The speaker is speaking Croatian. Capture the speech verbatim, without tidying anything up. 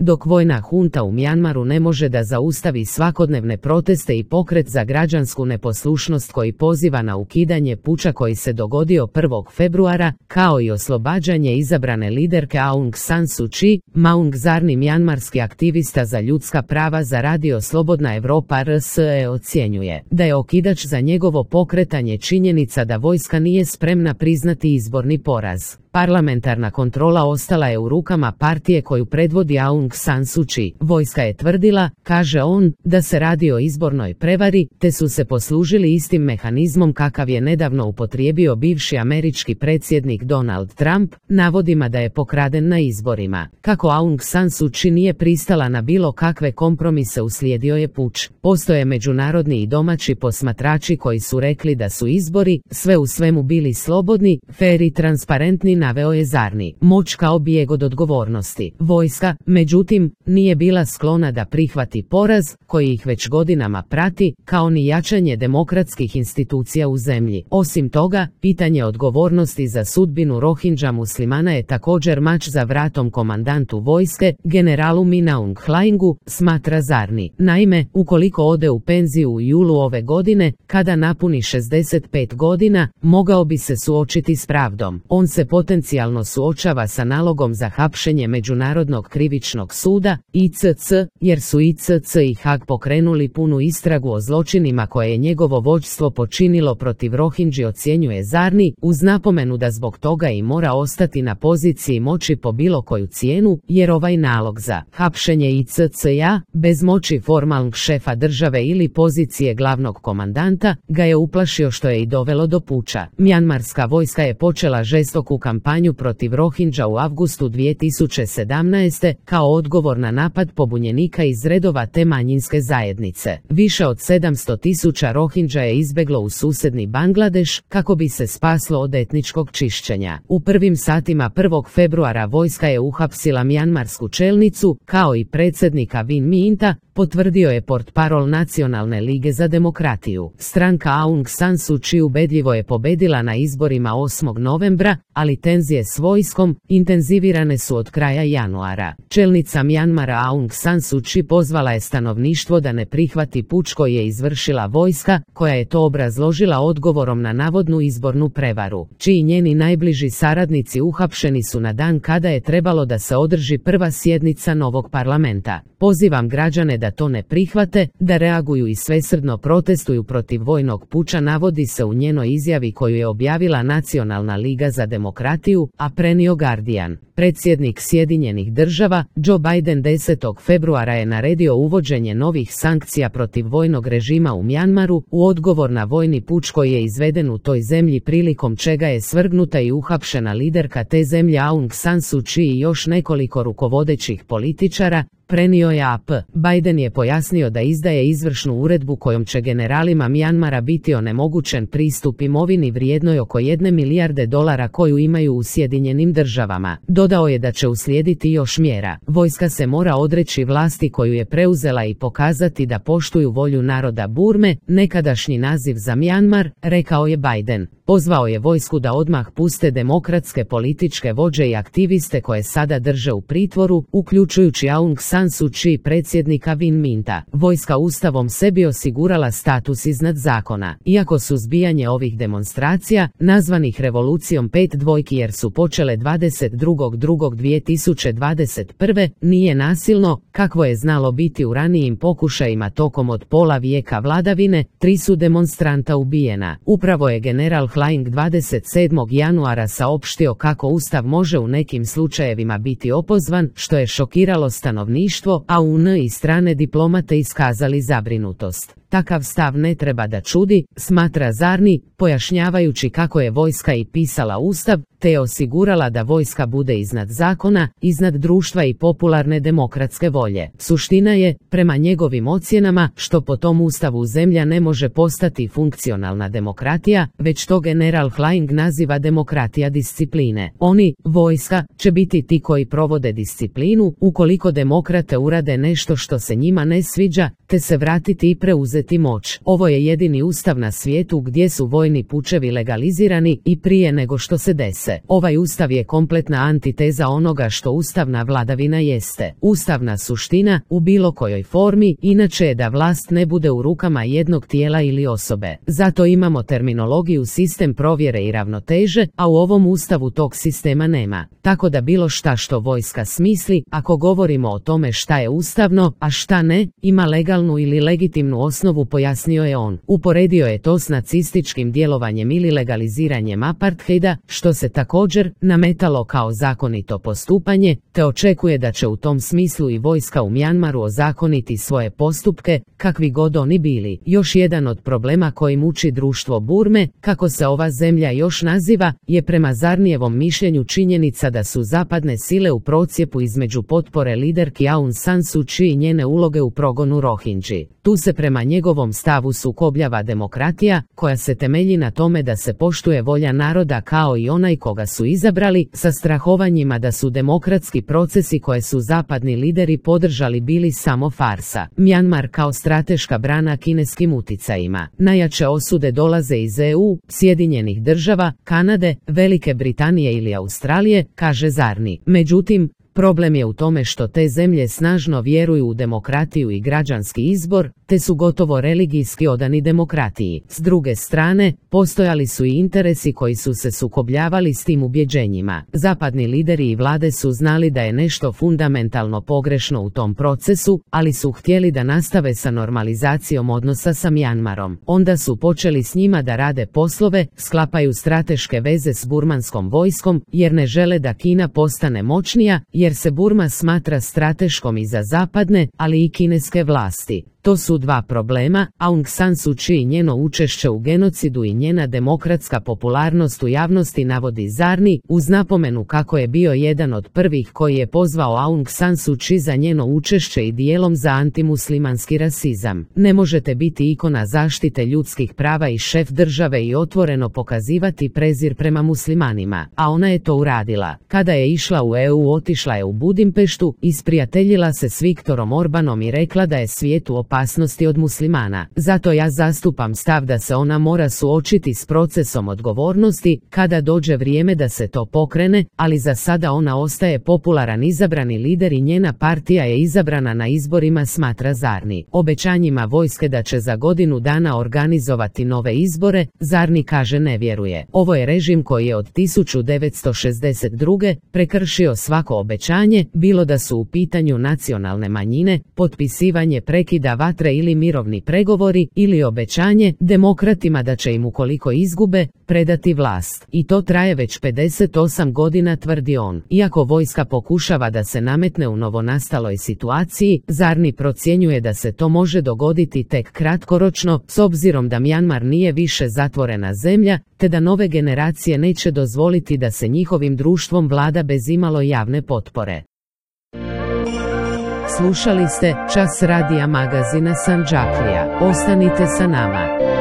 dok vojna hunta u Mjanmaru ne može da zaustavi svakodnevne proteste i pokret za građansku neposlušnost koji poziva na ukidanje puča koji se dogodio prvog februara, kao i oslobađanje izabrane liderke Aung San Suu Kyi, Maung Zarni, mjanmarski aktivista za ljudska prava za radio Slobodna Europa R S E ocjenjuje da je okidač za njegovo pokretanje činjenica da vojska nije spremna priznati izborni poraz. Parlamentarna kontrola ostala je u rukama partije koju predvodi Aung San Suu Kyi. Vojska je tvrdila, kaže on, da se radi o izbornoj prevari, te su se poslužili istim mehanizmom kakav je nedavno upotrijebio bivši američki predsjednik Donald Trump, navodima da je pokraden na izborima. Kako Aung San Suu Kyi nije pristala na bilo kakve kompromise, uslijedio je puč. Postoje međunarodni i domaći posmatrači koji su rekli da su izbori, sve u svemu, bili slobodni, fer i transparentni, naveo je Zarni. Moć kao bijeg od odgovornosti. Vojska, međutim, nije bila sklona da prihvati poraz, koji ih već godinama prati, kao ni jačanje demokratskih institucija u zemlji. Osim toga, pitanje odgovornosti za sudbinu Rohingya muslimana je također mač za vratom komandantu vojske, generalu Min Aung Hlaingu, smatra Zarni. Naime, ukoliko ode u penziju u julu ove godine, kada napuni šezdeset pet godina, mogao bi se suočiti s pravdom. On se potencijalno suočava sa nalogom za hapšenje Međunarodnog krivičnog suda, I C C, jer su I C C i Haag pokrenuli punu istragu o zločinima koje je njegovo vođstvo počinilo protiv Rohingya, ocjenjuje Zarni, uz napomenu da zbog toga i mora ostati na poziciji moći po bilo koju cijenu, jer ovaj nalog za hapšenje I C C-a, bez moći formalnog šefa države ili pozicije glavnog komandanta, ga je uplašio, što je i dovelo do puča. Mjanmarska vojska je počela žestoku kampanju protiv Rohingya u avgustu dvije tisuće sedamnaeste. kao odgovor na napad pobunjenika iz redova te manjinske zajednice. Više od sedamsto tisuća Rohingya je izbeglo u susjedni Bangladeš kako bi se spaslo od etničkog čišćenja. U prvim satima prvog februara vojska je uhapsila mjanmarsku čelnicu, kao i predsjednika Win Minta, potvrdio je portparol Nacionalne lige za demokratiju. Stranka Aung San Suu Kyi ubedljivo je pobedila na izborima osmog novembra, ali tenzije s vojskom intenzivirane su od kraja januara. Čelnica Mjanmara Aung San Suu Kyi pozvala je stanovništvo da ne prihvati puč koji je izvršila vojska, koja je to obrazložila odgovorom na navodnu izbornu prevaru. Čiji njeni najbliži saradnici uhapšeni su na dan kada je trebalo da se održi prva sjednica novog parlamenta. Pozivam građane da to ne prihvate, da reaguju i svesrdno protestuju protiv vojnog puča, navodi se u njenoj izjavi koju je objavila Nacionalna liga za demokratiju, a prenio Guardian. Predsjednik Sjedinjenih država, Joe Biden, desetog februara je naredio uvođenje novih sankcija protiv vojnog režima u Mjanmaru, u odgovor na vojni puč koji je izveden u toj zemlji, prilikom čega je svrgnuta i uhapšena liderka te zemlje Aung San Suu Kyi i još nekoliko rukovodećih političara, prenio je A P. Biden je pojasnio da izdaje izvršnu uredbu kojom će generalima Mjanmara biti onemogućen pristup imovini vrijednoj oko jedne milijarde dolara koju imaju u Sjedinjenim državama. Dodao je da će uslijediti još mjera. Vojska se mora odreći vlasti koju je preuzela i pokazati da poštuju volju naroda Burme, nekadašnji naziv za Mjanmar, rekao je Biden. Pozvao je vojsku da odmah puste demokratske političke vođe i aktiviste koje sada drže u pritvoru, uključujući Aung San Suu Kyi, predsjednika Win Minta. Vojska ustavom sebi osigurala status iznad zakona. Iako suzbijanje ovih demonstracija, nazvanih revolucijom pet dvojki jer su počele dvadeset drugog drugog dvije tisuće dvadeset prve, nije nasilno, kakvo je znalo biti u ranijim pokušajima tokom od pola vijeka vladavine, tri su demonstranta ubijena. Upravo je general Hlaing dvadeset sedmog januara saopštio kako ustav može u nekim slučajevima biti opozvan, što je šokiralo stanovništvo, a U N i strane diplomate iskazali zabrinutost. Takav stav ne treba da čudi, smatra Zarni, pojašnjavajući kako je vojska i pisala ustav, te je osigurala da vojska bude iznad zakona, iznad društva i popularne demokratske volje. Suština je, prema njegovim ocjenama, što po tom ustavu zemlja ne može postati funkcionalna demokratija, već to general Hlaing naziva demokratija discipline. Oni, vojska, će biti ti koji provode disciplinu, ukoliko demokrate urade nešto što se njima ne sviđa, te se vratiti i preuzeti preuzeti moć. Ovo je jedini ustav na svijetu gdje su vojni pučevi legalizirani i prije nego što se dese. Ovaj ustav je kompletna antiteza onoga što ustavna vladavina jeste. Ustavna suština u bilo kojoj formi inače je da vlast ne bude u rukama jednog tijela ili osobe. Zato imamo terminologiju sistem provjere i ravnoteže, a u ovom ustavu tog sistema nema. Tako da bilo šta što vojska smisli, ako govorimo o tome šta je ustavno, a šta ne, ima legalnu ili legitimnu osnovu, pojasnio je on. Uporedio je to s nacističkim djelovanjem ili legaliziranjem apartheida, što se također nametalo kao zakonito postupanje, te očekuje da će u tom smislu i vojska u Mjanmaru ozakoniti svoje postupke, kakvi god oni bili. Još jedan od problema koji muči društvo Burme, kako se ova zemlja još naziva, je prema Zarnijevom mišljenju činjenica da su zapadne sile u procjepu između potpore liderki Aung San Suu Kyi i njene uloge u progonu Rohingyi. Tu se prema njegovom stavu sukobljava demokratija, koja se temelji na tome da se poštuje volja naroda kao i onaj koga su izabrali, sa strahovanjima da su demokratski procesi koje su zapadni lideri podržali bili samo farsa. Mjanmar kao strateška brana kineskim uticajima. Najjače osude dolaze iz E U, Sjedinjenih država, Kanade, Velike Britanije ili Australije, kaže Zarni. Međutim, problem je u tome što te zemlje snažno vjeruju u demokratiju i građanski izbor, te su gotovo religijski odani demokratiji. S druge strane, postojali su i interesi koji su se sukobljavali s tim ubjeđenjima. Zapadni lideri i vlade su znali da je nešto fundamentalno pogrešno u tom procesu, ali su htjeli da nastave sa normalizacijom odnosa sa Mjanmarom. Onda su počeli s njima da rade poslove, sklapaju strateške veze s burmanskom vojskom, jer ne žele da Kina postane moćnija, jer se Burma smatra strateškom i za zapadne, ali i kineske vlasti. To su dva problema, Aung San Suu Kyi i njeno učešće u genocidu i njena demokratska popularnost u javnosti, navodi Zarni, uz napomenu kako je bio jedan od prvih koji je pozvao Aung San Suu Kyi za njeno učešće i dijelom za antimuslimanski rasizam. Ne možete biti ikona zaštite ljudskih prava i šef države i otvoreno pokazivati prezir prema muslimanima, a ona je to uradila. Kada je išla u E U, otišla je u Budimpeštu, isprijateljila se s Viktorom Orbanom i rekla da je svijetu opasnosti od muslimana. Zato ja zastupam stav da se ona mora suočiti s procesom odgovornosti kada dođe vrijeme da se to pokrene, ali za sada ona ostaje popularan izabrani lider i njena partija je izabrana na izborima, smatra Zarni. Obećanjima vojske da će za godinu dana organizovati nove izbore, Zarni kaže ne vjeruje. Ovo je režim koji je od tisuću devetsto šezdeset druge prekršio svako obećanje, bilo da su u pitanju nacionalne manjine, potpisivanje prekida vatre ili mirovni pregovori, ili obećanje demokratima da će im ukoliko izgube, predati vlast. I to traje već pedeset osam godina, tvrdi on. Iako vojska pokušava da se nametne u novonastaloj situaciji, Zarni procjenjuje da se to može dogoditi tek kratkoročno, s obzirom da Mjanmar nije više zatvorena zemlja, te da nove generacije neće dozvoliti da se njihovim društvom vlada bez imalo javne potpore. Slušali ste Čas radija magazina Sandžaklija. Ostanite sa nama.